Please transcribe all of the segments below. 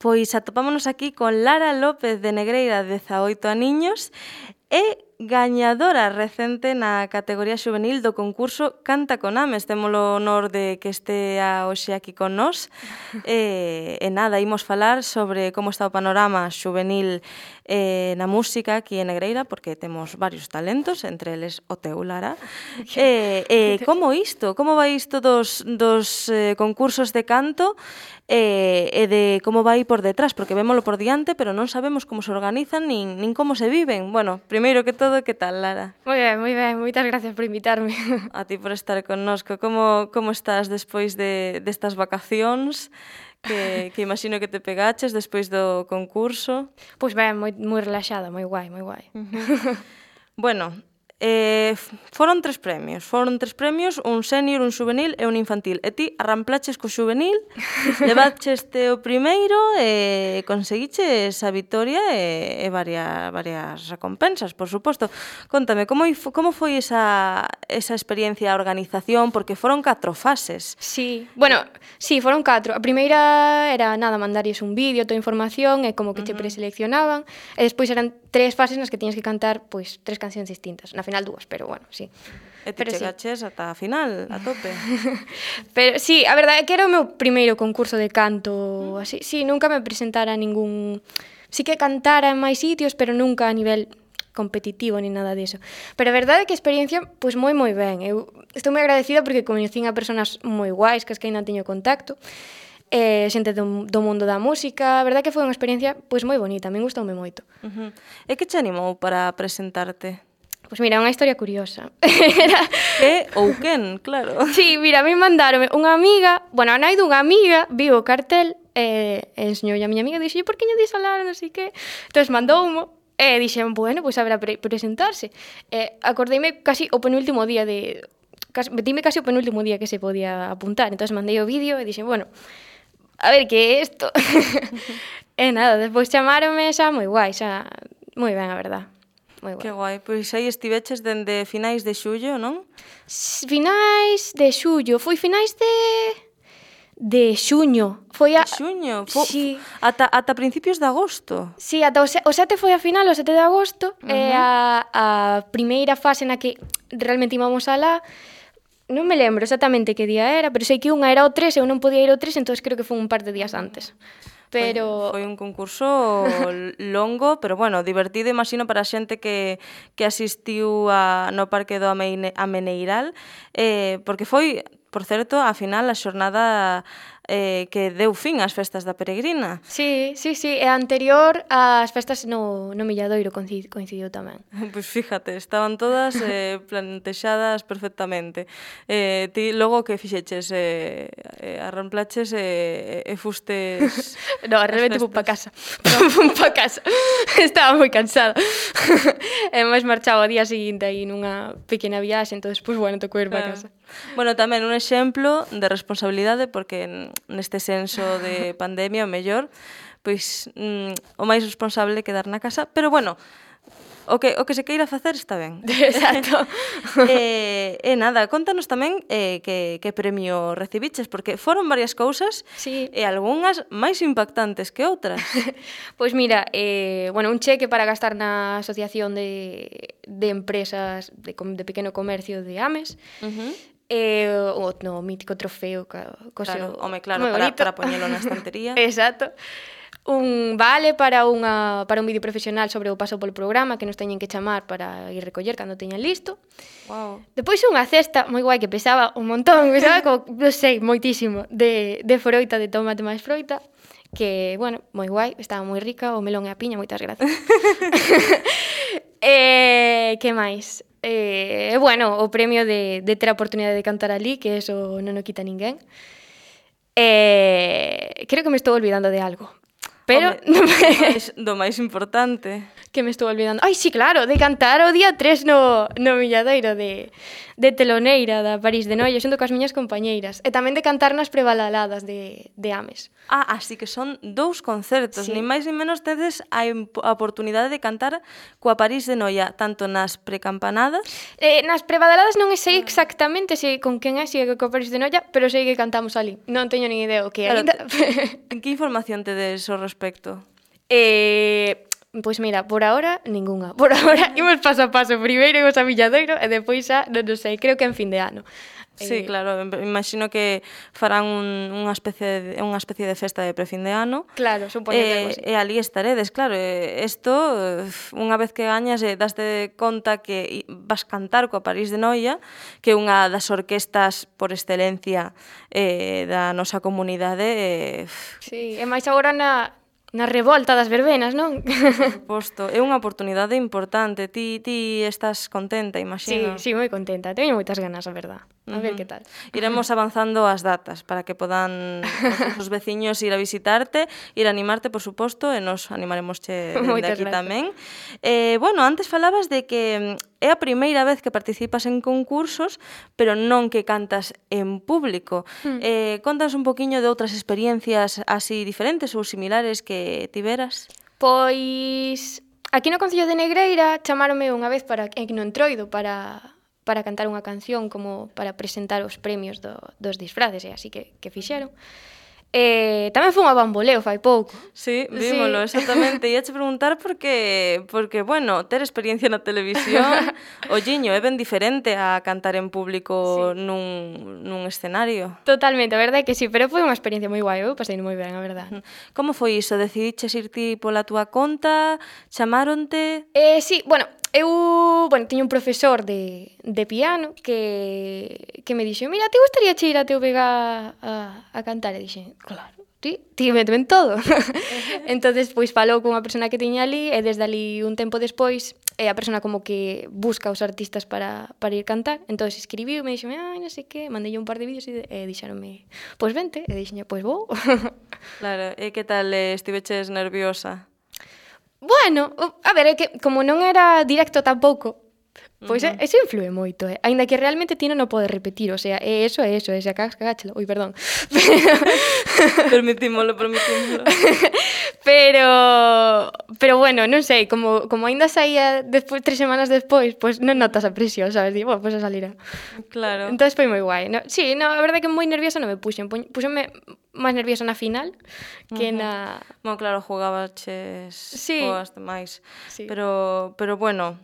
Pois atopámonos aquí con Lara López de Negreira, 18 aniños, e gañadora recente na categoría xuvenil do concurso Canta con Ames. Temos o honor de que estea hoxe aquí con nós. E nada, imos falar sobre como está o panorama xuvenil na música aquí en Negreira, porque temos varios talentos, entre eles o teu, Lara. Como isto? Como vai isto dos concursos de canto e de como vai por detrás? Porque vémolo por diante, pero non sabemos como se organizan nin como se viven. Bueno, primeiro que todo, que tal, Lara? Moi ben, moitas gracias por invitarme. A ti por estar connosco. Como estás despois destas vacacións que imagino que te pegaches despois do concurso? Pois ben, moi relaxada, moi guai, moi guai. Bueno, foron tres premios, un sénior, un juvenil e un infantil. E ti arramplaches co juvenil, levaches o primeiro e conseguiches a vitoria e varias recompensas, por suposto. Contame, como foi esa experiencia, a organización, porque foron 4 fases. Sí, bueno, sí, foron 4. A primeira era nada, mandarlles un vídeo, toda a información e como que che preseleccionaban, e despois eran 3 fases nas que tiñas que cantar, pois, 3 cancións distintas. Na final 2, pero bueno, sí. E ti chegaches ata a final, a tope. Pero sí, a verdade é que era o meu primeiro concurso de canto, así. Sí, nunca me presentara a ningún... Sí que cantara en máis sitios, pero nunca a nivel competitivo ni nada diso. Pero a verdade é que a experiencia, pois moi ben. Eu estou moi agradecida porque coñecín a personas moi guais, que ainda teño contacto, xente do mundo da música. A verdade é que foi unha experiencia pois moi bonita, a min gustoume moito. E que te animou para presentarte? Pois mira, unha historia curiosa. Que ou quen, claro. Sí, mira, a mí mandaronme unha amiga, bueno, a nai dunha amiga, viu o cartel, enseñoulle a miña amiga, dixo, por que lle dis a Lara, non sei que. Entón mandoumo, e dixen, bueno, pois haberá presentarse. Acordeime casi o penúltimo día metime casi o penúltimo día que se podía apuntar, entón mandei o vídeo e dixen, bueno, a ver que é isto. E nada, despois chamáronme xa moi guai, xa moi ben, a verdad. Moi guai. Que guai, pois aí estiveches dende finais de xullo, non? Finais de xullo, foi finais de xuño. Foi a xuño? Sí. Ata principios de agosto? Sí, ata o 7 foi a final, o 7 de agosto, e a primeira fase na que realmente íbamos alá, non me lembro exactamente que día era, pero sei que unha era o 3 e eu non podía ir ao 3, entón creo que foi un par de días antes. Pero foi un concurso longo, pero bueno, divertido, imagino, para a xente que asistiu no Parque do Ameneiral, porque foi, por certo, a final a xornada que deu fin ás festas da Peregrina. Sí, e a anterior ás festas no Milladoiro coincidiu tamén. Pois fíjate, estaban todas plantexadas perfectamente. Ti logo que fixeches? Arramplaches e fustes... No, realmente fui pa casa. Fui pa casa. Estaba moi cansada. E máis marchaba o día seguinte aí nunha pequena viaxe, entón, pois, bueno, tocou ir pa casa. Bueno, tamén un exemplo de responsabilidade, porque neste senso de pandemia, o mellor, pois o máis responsable é quedar na casa, pero bueno, o que se queira facer está ben. Exacto. E nada, contanos tamén que premio recibiches, porque foron varias cousas, sí, e algunhas máis impactantes que outras. Pois mira, bueno, un cheque para gastar na Asociación de Empresas de Pequeno Comercio de Ames, o mítico trofeo, claro, para poñelo na estantería. Exacto. Un vale para un vídeo profesional sobre o paso polo programa que nos teñen que chamar para ir recoller cando teñan listo. Wow. Depois unha cesta moi guai que pesaba un montón, pesaba como, non sei, moitísimo, de froita, de tomate máis froita, que, bueno, moi guai, estaba moi rica, o melón e a piña, moitas gracias. Que máis? Bueno, o premio de ter a oportunidade de cantar ali, que eso non o quita ninguén. Creo que me estou olvidando de algo. pero do máis importante. Que me estou olvidando. Ai, sí, claro, de cantar o día 3 no Milladoiro de teloneira da París de Noia, xunto coas miñas compañeiras. E tamén de cantar nas prebalaladas de Ames. Así que son 2 concertos, nin máis nin menos tedes a oportunidade de cantar coa París de Noia, tanto nas precampanadas... Nas prebalaladas non sei exactamente con quen é, se é coa París de Noia, pero sei que cantamos ali. Non teño nin idea o que é. Claro, que información tedes ao respecto? Pois mira, por ahora, ningunha. Por ahora, imos paso a paso. Primeiro imos a Milladoiro e depois xa, non sei, creo que en fin de ano. Sí, claro, imagino que farán unha especie de festa de prefin de ano. Claro, supoño que algo así. E ali estaredes, claro. Isto, unha vez que gañas, daste conta que vas cantar coa París de Noia, que é unha das orquestas por excelencia da nosa comunidade. Sí, e máis agora na revolta das verbenas, non? Por suposto, é unha oportunidade importante. Ti estás contenta, imagino. Sí, moi contenta. Teño moitas ganas, a verdad. A ver que tal. Iremos avanzando as datas para que podan os veciños ir a visitarte, ir a animarte, por suposto, e nos animaremos dende aquí tamén. Bueno, antes falabas de que é a primeira vez que participas en concursos, pero non que cantas en público. Contas un poquiño de outras experiencias así diferentes ou similares que tiveras? Pois aquí no Concello de Negreira chamáronme unha vez no Entroido para cantar unha canción como para presentar os premios dos disfraces, e así que fixeron. Tamén foi a Bamboleo fai pouco. Sí, vímolo, exactamente. Ia che preguntar porque, bueno, ter experiencia na televisión, olliño, é ben diferente a cantar en público nun escenario. Totalmente, a verdade é que sí, pero foi unha experiencia moi guai, eu pasei moi ben, a verdade. Como foi iso? Decidiches ir ti pola túa conta? Chamaronte? Sí, bueno, teño un profesor de piano que me dixo, mira, te gustaría che ir a TVG a cantar? E dixen, claro, ti méteme en todo. Entonces, pois falou cunha persona que tiña ali, e desde ali un tempo despois, a persona como que busca os artistas para ir cantar. Entonces escribiu, me dixo, non sei que, mandei un par de vídeos e dixeronme, pois vente, e dixen, pois vou. Claro, e que tal estiveches nerviosa? Bueno, a ver, é que como non era directo tampouco, pois eso influe moito, aínda que realmente ti non o podes repetir, o sea, eso, e se cagáchelo, perdón. Permitímolo. Pero bueno, non sei, como aínda saía despois 3 semanas despois, pois non notas a presión, sabes? Digo, pois a salirá. Claro. Entonces foi moi guai. Sí, a verdade que moi nerviosa non me puxen. Puxenme máis nerviosa na final que na... Bueno, claro, jugabaches coas demais. Sí. Pero bueno,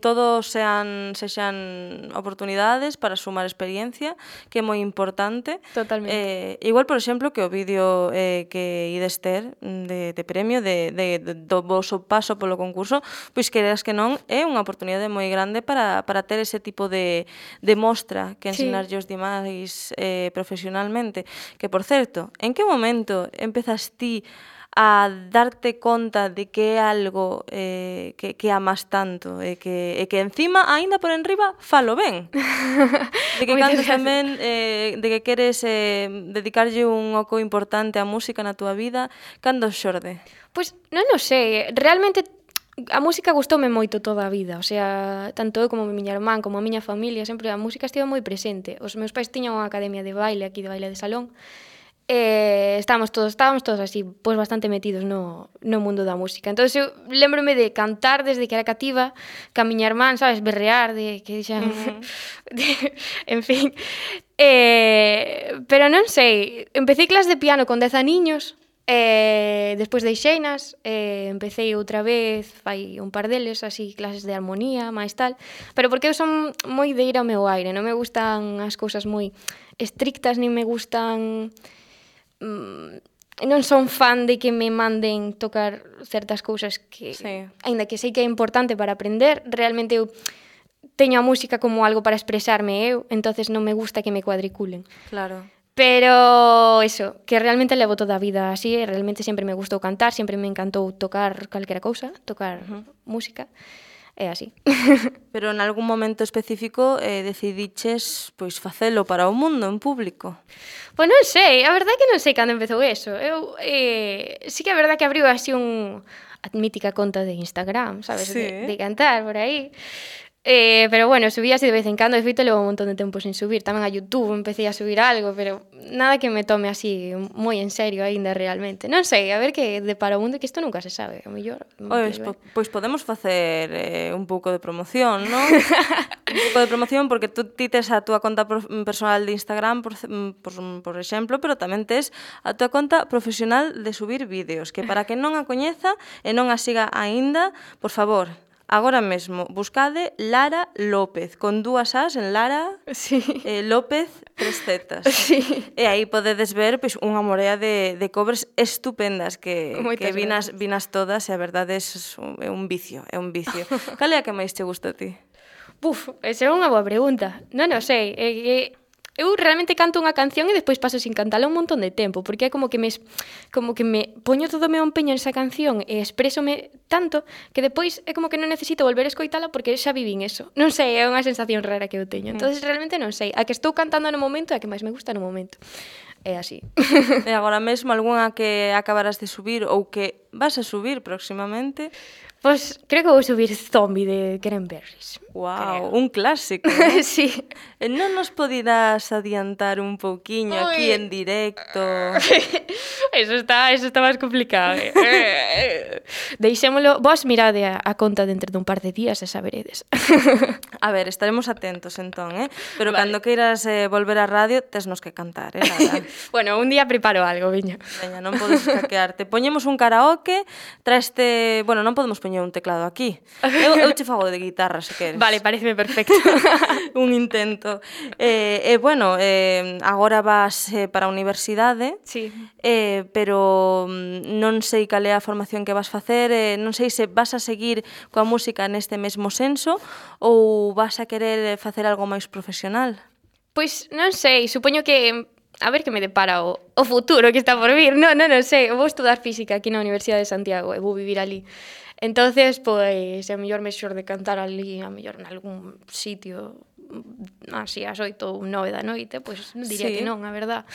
todos sexan oportunidades para sumar experiencia, que é moi importante. Totalmente. Igual, por exemplo, que o vídeo que ides ter de premio do voso paso polo concurso, pois quereras que non, é unha oportunidade moi grande para ter ese tipo de mostra que ensinarlle os demais profesionalmente. Que, por certo, en que momento empezas ti a darte conta de que é algo que amas tanto e que encima, aínda por enriba, falo ben. De que cantas tamén, de que queres dedicarlle un oco importante á música na túa vida, cando xorde? Pois non o sei, realmente a música gustoume moito toda a vida, o sea, tanto eu como a miña irmán, como a miña familia, sempre a música estivo moi presente. Os meus pais tiñan unha academia de baile, aquí de baile de salón, estábamos todos así, pois bastante metidos no mundo da música. Entón, eu lembrome de cantar desde que era cativa, ca miña irmán, sabes, berrear, de que dixan... en fin. Pero non sei, empecé clase de piano con 10 aniños, despois deixeinas, empecé outra vez, fai un par deles, así, clases de armonía, máis tal, pero porque eu son moi de ir ao meu aire, non me gustan as cousas moi estrictas, nin me gustan... non son fan de que me manden tocar certas cousas que, aínda que sei que é importante para aprender, realmente eu teño a música como algo para expresarme eu, entonces non me gusta que me cuadriculen. Claro. Pero eso, que realmente levo toda a vida así, realmente sempre me gustou cantar, sempre me encantou tocar calquera cousa, tocar música. é así. Pero en algún momento específico decidiches pois facelo para o mundo en público. Pois non sei, a verdade é que non sei cando empezou eso. Eu, sí que é verdade que abriu así a mítica conta de Instagram, sabes, Sí. de cantar por aí. Pero bueno, subí así de vez en cando, de feito levo un montón de tempo sin subir. Tamén a YouTube empecé a subir algo, pero nada que me tome así moi en serio aínda realmente. Non sei, a ver que depara o mundo, que isto nunca se sabe, a mellor. Pois podemos facer un pouco de promoción, non? Un pouco de promoción porque tú tes a túa conta personal de Instagram, por exemplo, pero tamén tes a túa conta profesional de subir vídeos, que para que non a coñeza e non a siga aínda, por favor, agora mesmo, buscade Lara López, con 2 as en Lara, Sí. López, 3 zetas. Sí. E aí podedes ver pois, unha morea de covers estupendas que vinas todas e a verdade é un vicio, é un vicio. Cal é a que máis te gusta a ti? Esa é unha boa pregunta. Non o sei, eu realmente canto unha canción e despois paso sin cantala un montón de tempo, porque é como que me poño todo o meu empeño nesa canción e exprésome tanto que depois é como que non necesito volver a escoitala porque xa vivín eso. Non sei, é unha sensación rara que eu teño. Entonces realmente non sei. A que estou cantando no momento é a que máis me gusta no momento. É así. E agora mesmo algunha que acabarás de subir ou que vas a subir próximamente? Pois creo que vou subir Zombie de Cranberries. Wow, un clásico, ¿no? Sí. Non nos podirás adiantar un pouquiño aquí en directo? Eso está máis complicado. Deixémolo, vos mirade a conta dentro dun par de días e saberedes. A ver, estaremos atentos entón, Pero Vale. cando queiras volver á radio, tesnos que cantar, Lara? Bueno, un día preparo algo, viña. Veña, non podes escaquearte. Poñemos un karaoke, traeste... Bueno, non podemos poñer un teclado aquí. Eu che fago de guitarra, se queres. Vale, pareceme perfecto. Un intento. Bueno, agora vas para a universidade, Sí. pero non sei cal é a formación que vas facer, non sei se vas a seguir coa música neste mesmo senso ou vas a querer facer algo máis profesional. Pois non sei, supoño que a ver que me depara o futuro que está por vir. Non sei, eu vou estudar física aquí na Universidade de Santiago e vou vivir ali. Entonces, pois, a mellor me xorde cantar ali, a mellor en algún sitio así ás 8 ou 9 da noite, pois diría que non, a verdad.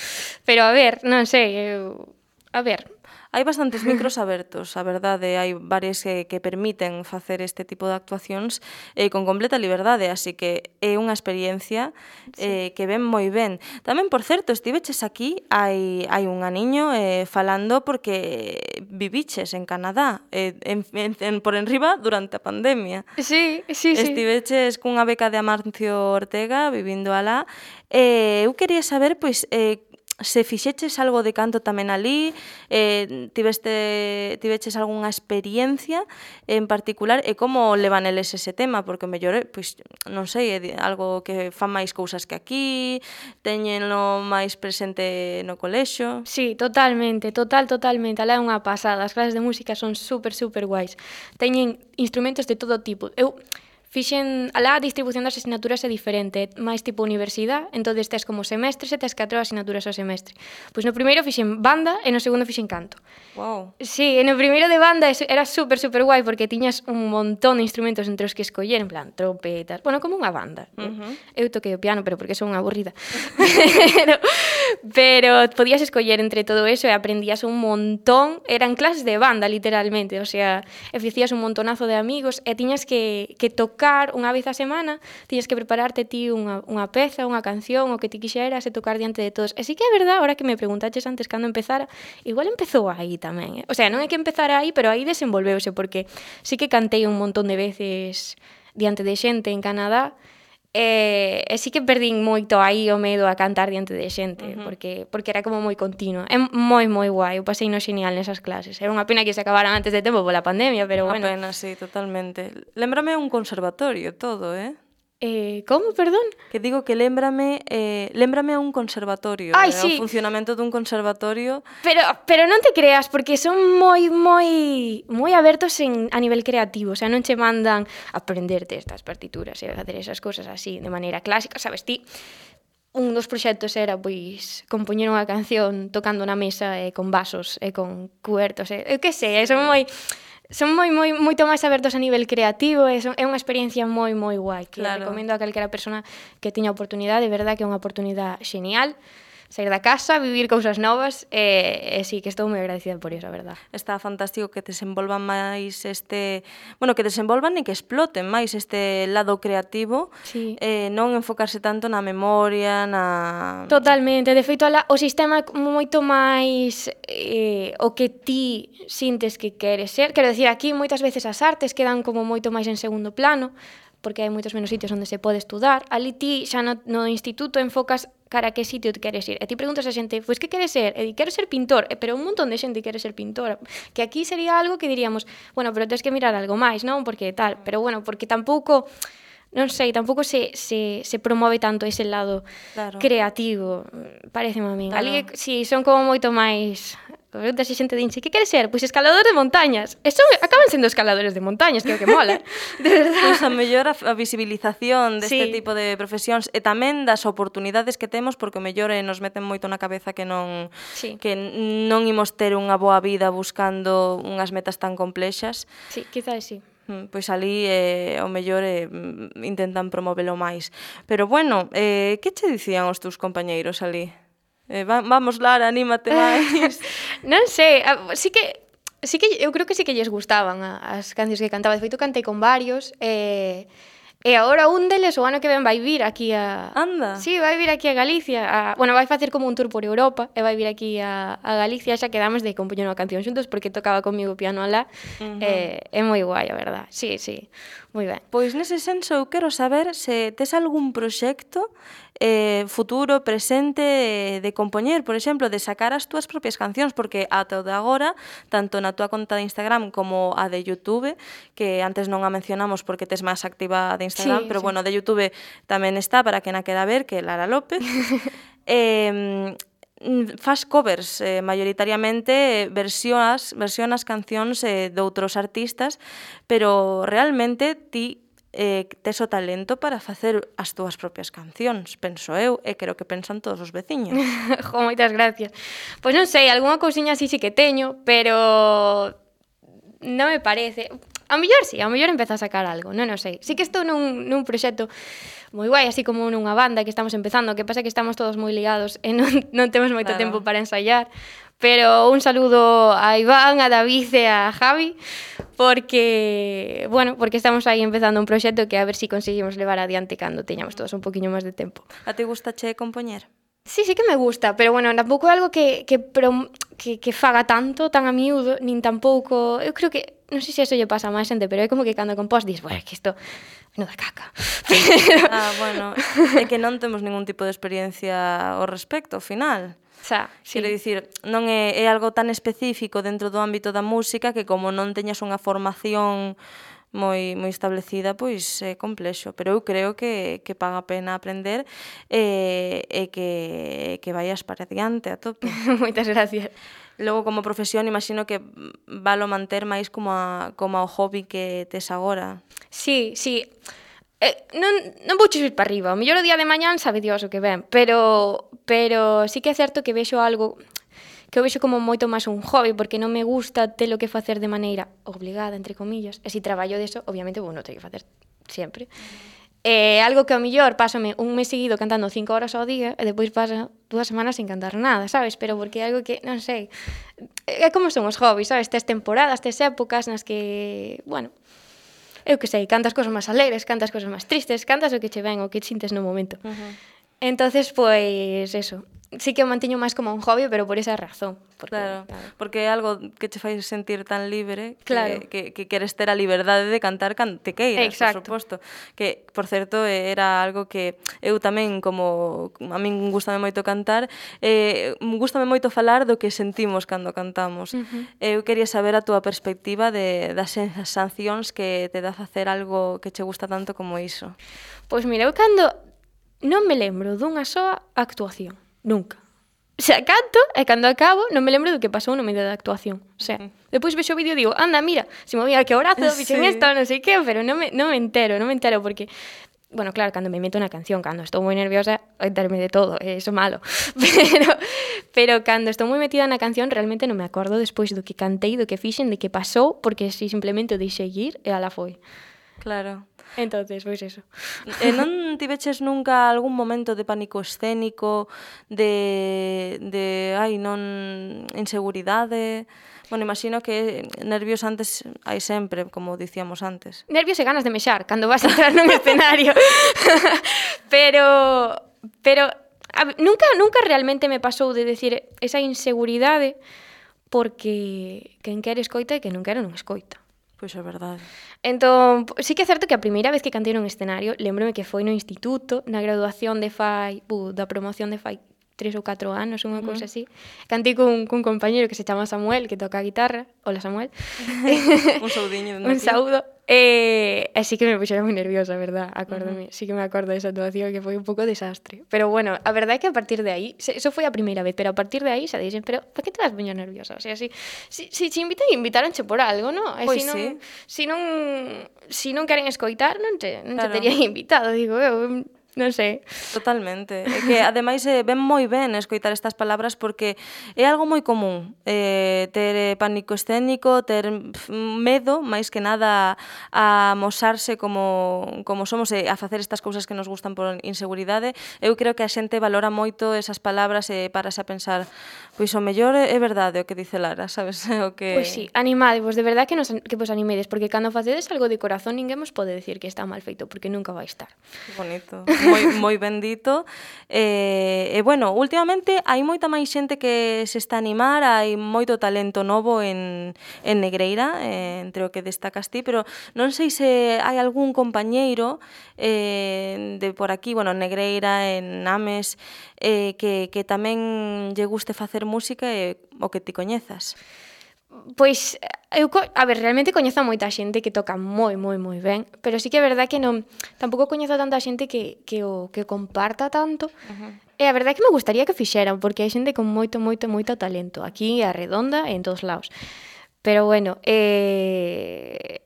Pero a ver, non sei, a ver. Hai bastantes micros abertos, a verdade, hai varios que permiten facer este tipo de actuacións con completa liberdade, así que é unha experiencia que ven moi ben. Tamén, por certo, estiveches aquí hai un aniño falando porque viviches en Canadá, por enriba durante a pandemia. Sí. Estiveches cunha beca de Amancio Ortega vivindo alá. Eu quería saber, pois, se fixeches algo de canto tamén alí, tiveches algunha experiencia en particular e como levan eles ese tema, porque mellor, pois, non sei, é algo que fan máis cousas que aquí, teñenlo máis presente no colexio. Sí, totalmente. Alá é unha pasada. As clases de música son super guais. Teñen instrumentos de todo tipo. Eu alá a distribución das asignaturas é diferente, máis tipo universidade, entonces tes como semestres e tes 4 asignaturas ao semestre. Pois no primeiro fixen banda e no segundo fixen canto. Wow. Sí, e no primeiro de banda era super guai porque tiñas un montón de instrumentos entre os que escoller, en plan trompetas, bueno, como unha banda. Eu toquei o piano, pero porque son unha aburrida. pero podías escoller entre todo eso e aprendías un montón, eran clases de banda literalmente, o sea, e facías un montonazo de amigos e tiñas que tocar unha vez a semana, tiñas que prepararte ti unha peza, unha canción, o que ti quixeras e tocar diante de todos. E sí que é verdade, ahora que me preguntaches antes cando empezara, igual empezou aí tamén, O sea, non é que empezara aí, pero aí desenvolveuse, porque sí que cantei un montón de veces diante de xente en Canadá, e sí que perdín moito aí o medo a cantar diante de xente, porque era como moi continuo. É moi guai, eu pasei no xenial nesas clases. Era unha pena que se acabaran antes de tempo pola pandemia, pero bueno. Unha pena, sí, totalmente. Lémbrame un conservatorio todo, Como, perdón? Que digo que lémbrame a un conservatorio, Ai, o sí. funcionamento dun conservatorio. Pero non te creas, porque son moi abertos a nivel creativo, o sea, non che mandan aprenderte estas partituras e facer esas cosas así de maneira clásica, sabes, ti un dos proxectos era, pois, compoñer unha canción tocando na mesa con vasos e con cubertos, eu que sei, son moi son moito máis abertos a nivel creativo, é unha experiencia moi guai, que recomendo a calquera persona que teña oportunidade, de verdad que é unha oportunidade genial, sair da casa, vivir cousas novas, e sí, que estou moi agradecida por iso, a verdad. Está fantástico que desenvolvan máis que desenvolvan e que exploten máis este lado creativo, sí. Non enfocarse tanto na memoria, Totalmente, de feito, o sistema é moito máis o que ti sintes que queres ser. Quero dicir, aquí moitas veces as artes quedan como moito máis en segundo plano, porque hai moitos menos sitios onde se pode estudar. Ali ti xa no instituto enfocas cara a que sitio te queres ir. E ti preguntas a xente, pois que queres ser? E di, quero ser pintor. Pero un montón de xente quere ser pintora. Que aquí sería algo que diríamos, bueno, pero tens que mirar algo máis, non? Porque tal. Pero bueno, porque tampouco, non sei, tampouco se promove tanto ese lado creativo, pareceme a min. Ali, si, son como moito máis... Preguntas a xente dinche, que queres ser? Pois escalador de montañas. E acaban sendo escaladores de montañas, que é o que mola. De verdade. Pois a mellor a visibilización deste tipo de profesións e tamén das oportunidades que temos, porque o mellor nos meten moito na cabeza que non imos ter unha boa vida buscando unhas metas tan complexas. Sí, quizás sí. Pois ali o mellor intentan promovelo máis. Pero bueno, que che dicían os teus compañeiros ali? Vamos, Lara, anímate máis. Non sei, sí que eu creo que sí que lles gustaban as cancións que cantaba. De feito, cantei con varios, e agora un deles o ano que ven vai vir aquí a... Anda. Sí, vai vir aquí a Galicia. Bueno, vai facer como un tour por Europa e vai vir aquí a Galicia. Xa quedamos de compoñer unha canción xuntos porque tocaba comigo o piano alá. É moi guai, a verdad. Sí, moi ben. Pois nese senso eu quero saber se tes algún proxecto futuro, presente, de compoñer, por exemplo, de sacar as túas propias cancións, porque ata o de agora, tanto na túa conta de Instagram como a de YouTube, que antes non a mencionamos porque tes máis activa de Instagram, pero bueno, de YouTube tamén está para quen a quera ver, que é Lara López. Fas covers, maioritariamente versionas cancións de outros artistas, pero realmente ti tes o talento para facer as túas propias cancións, penso eu, e creo que pensan todos os veciños. Jo, moitas gracias. Pois non sei, algunha cousiña así sí que teño, pero non me parece. A mellor sí, a mellor empeza a sacar algo, non sei. Sí que estou nun proxecto moi guai, así como nunha banda que estamos empezando, que pasa que estamos todos moi ligados e non temos moito tempo para ensaiar, pero un saludo a Iván, a David e a Javi, porque estamos aí empezando un proxecto que a ver si conseguimos levar adiante cando teñamos todos un poquinho máis de tempo. A ti gustache compoñer? Sí que me gusta, pero bueno, tampouco é algo que faga tanto, tan a miúdo, nin tampouco... Eu creo que, non sei se eso lle pasa a máis xente, pero é como que cando compós dis, bueno, que isto non da caca. Bueno, é que non temos ningún tipo de experiencia ao respecto, ao final. Quero dicir, non é algo tan específico dentro do ámbito da música que como non teñas unha formación moi establecida, pois é complexo, pero eu creo que paga a pena aprender e que vayas para adiante a tope. Moitas gracias. Logo, como profesión, imagino que valo manter máis como o hobby que tes agora. Sí. Non vou subir para arriba. O mellor o día de mañán sabe Dios o que ven, pero sí que é certo que vexo algo que eu vexo como moito máis un hobby, porque non me gusta telo que facer de maneira obligada, entre comillas, e se traballo deso, obviamente, non teño que facer sempre. Algo que ao mellor pásame un mes seguido cantando 5 horas ao día e depois pasa 2 semanas sin cantar nada, sabes? Pero porque é algo que, non sei, é como son os hobbies, sabes? Tes temporadas, tes épocas nas que, bueno, eu que sei, cantas cosas máis alegres, cantas cosas máis tristes, cantas o que che ven, o que sintes no momento. Entonces, pois, eso. Sí que o manteño máis como un hobby, pero por esa razón. Porque é algo que te fai sentir tan libre que queres ter a liberdade de cantar cando te queiras, por suposto. Que, por certo, era algo que eu tamén, como a min gustame moito cantar, gustame moito falar do que sentimos cando cantamos. Eu quería saber a túa perspectiva das sensacións que te dá facer algo que che gusta tanto como iso. Pois mira, eu cando non me lembro dunha soa actuación. Nunca. O sea, canto e cando acabo non me lembro do que pasou no medio da actuación. O sea, depois vexo o vídeo e digo, anda, mira, se movía que o brazo, fixen isto, non sei que, pero non me entero, porque bueno, claro, cando me meto na canción, cando estou moi nerviosa, enterme de todo, eso malo. Pero cando estou moi metida na canción, realmente non me acordo despois do que cantei, do que fixen, de que pasou, porque si simplemente o deixei ir e ala foi. Claro. Entonces, pois eso. E non tiveches nunca algún momento de pánico escénico, de inseguridade? Bueno, imagino que nervios antes hai sempre, como dicíamos antes. Nervios e ganas de mexar cando vas a entrar nun escenario. pero nunca realmente me pasou de decir esa inseguridade, porque quen quere escoita e quen non quere non escoita. Pois é verdade. Entón, sí que é certo que a primeira vez que cantei nun escenario, lembrome que foi no instituto, na graduación da promoción de fai 3 ou 4 anos, unha cousa así. Cantei cun compañeiro que se chama Samuel, que toca a guitarra. Hola, Samuel. Un saudiño. Un saúdo. Así que me puxera moi nerviosa, verdad? Acórdome. Sí que me acordo desa actuación que foi un pouco desastre. Pero bueno, a verdade é que a partir de aí, eso foi a primeira vez, pero a partir de aí xa dixen, pero para que te vas poñer nerviosa? O sea, si te invitaronche por algo, non? Pois si non queren escoitar, non te terían invitado, digo eu. Non sei. Totalmente. É que, ademais, ven moi ben escoitar estas palabras porque é algo moi común. Ter pánico escénico, ter medo, máis que nada, a amosarse como somos e a facer estas cousas que nos gustan por inseguridade. Eu creo que a xente valora moito esas palabras e parase a pensar, pois o mellor é verdade o que dice Lara, sabes? Pois sí, animadevos, de verdade que vos animedes, porque cando facedes algo de corazón ninguén vos pode decir que está mal feito, porque nunca vai estar. Que bonito. Moi bendito. Bueno, últimamente hai moita máis xente que se está a animar, hai moito talento novo en Negreira, entre o que destacas ti, pero non sei se hai algún compañeiro de por aquí, bueno, en Negreira, en Ames, que tamén lle guste facer música e o que ti coñezas. Pois, realmente coñezo a moita xente que toca moi ben, pero sí que é verdade que tampouco coñezo a tanta xente que comparta tanto. E a verdade é que me gustaría que fixeran, porque hai xente con moito talento, aquí a Redonda e en todos lados. Pero bueno,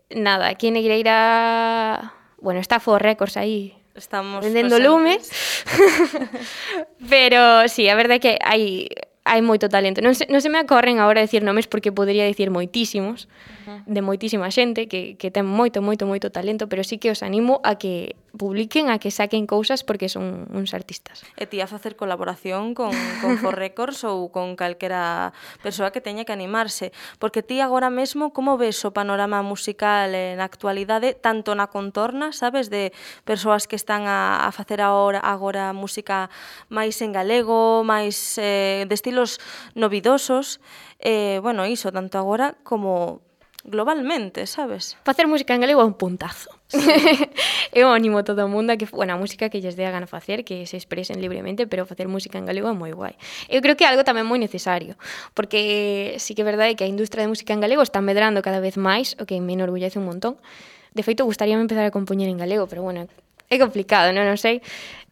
nada, aquí en Negreira, bueno, está For Records aí, estamos vendendo lumes. Pero sí, a verdade é que hai moito talento. Non se me acorren agora decir nomes porque podría dicir moitísimos, de moitísima xente que ten moito talento, pero sí que os animo a que publiquen, a que saquen cousas porque son uns artistas. E ti a facer colaboración con For Records ou con calquera persoa que teña que animarse, porque ti agora mesmo como ves o panorama musical na actualidade, tanto na contorna, sabes, de persoas que están a facer agora música máis en galego, máis de estilos novidosos, bueno, iso, tanto agora como globalmente, sabes? Facer música en galego é un puntazo. Sí. Eu animo a todo o mundo a que, bueno, a música que lles dé a gana facer, que se expresen libremente, pero facer música en galego é moi guai. Eu creo que é algo tamén moi necesario, porque sí que é verdade que a industria de música en galego está medrando cada vez máis, o que me enorgullece un montón. De feito, gustaríame empezar a compoñer en galego, pero bueno, é complicado, non sei.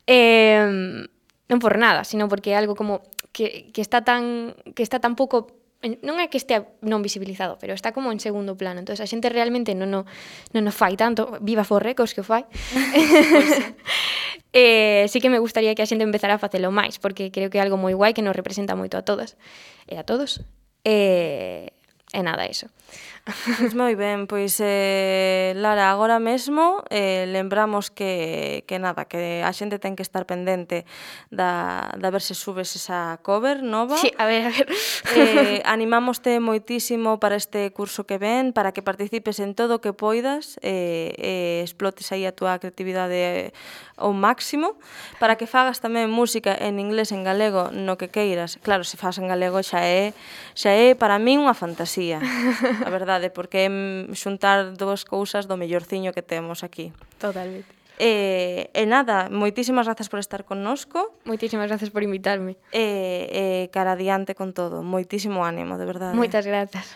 Non por nada, sino porque é algo como que está tan pouco, non é que estea non visibilizado, pero está como en segundo plano. Entón, a xente realmente non o fai tanto. Viva For Records que o fai. Sí que me gustaría que a xente empezara a facelo máis, porque creo que é algo moi guai que nos representa moito a todas e a todos. E nada, eso. Pois moi ben, pois Lara, agora mesmo lembramos que nada, que a xente ten que estar pendente da ver se subes esa cover nova. Sí, a ver. Animámoste moitísimo para este curso que ven, para que participes en todo o que poidas, explotes aí a túa creatividade ao máximo, para que fagas tamén música en inglés, en galego, no que queiras. Claro, se faz en galego xa é para min unha fantasía, a verdade, porque é xuntar dúas cousas do mellorciño que temos aquí. Totalmente. E nada, moitísimas grazas por estar connosco. Moitísimas grazas por invitarme. Cara adiante con todo. Moitísimo ánimo, de verdade. Moitas grazas.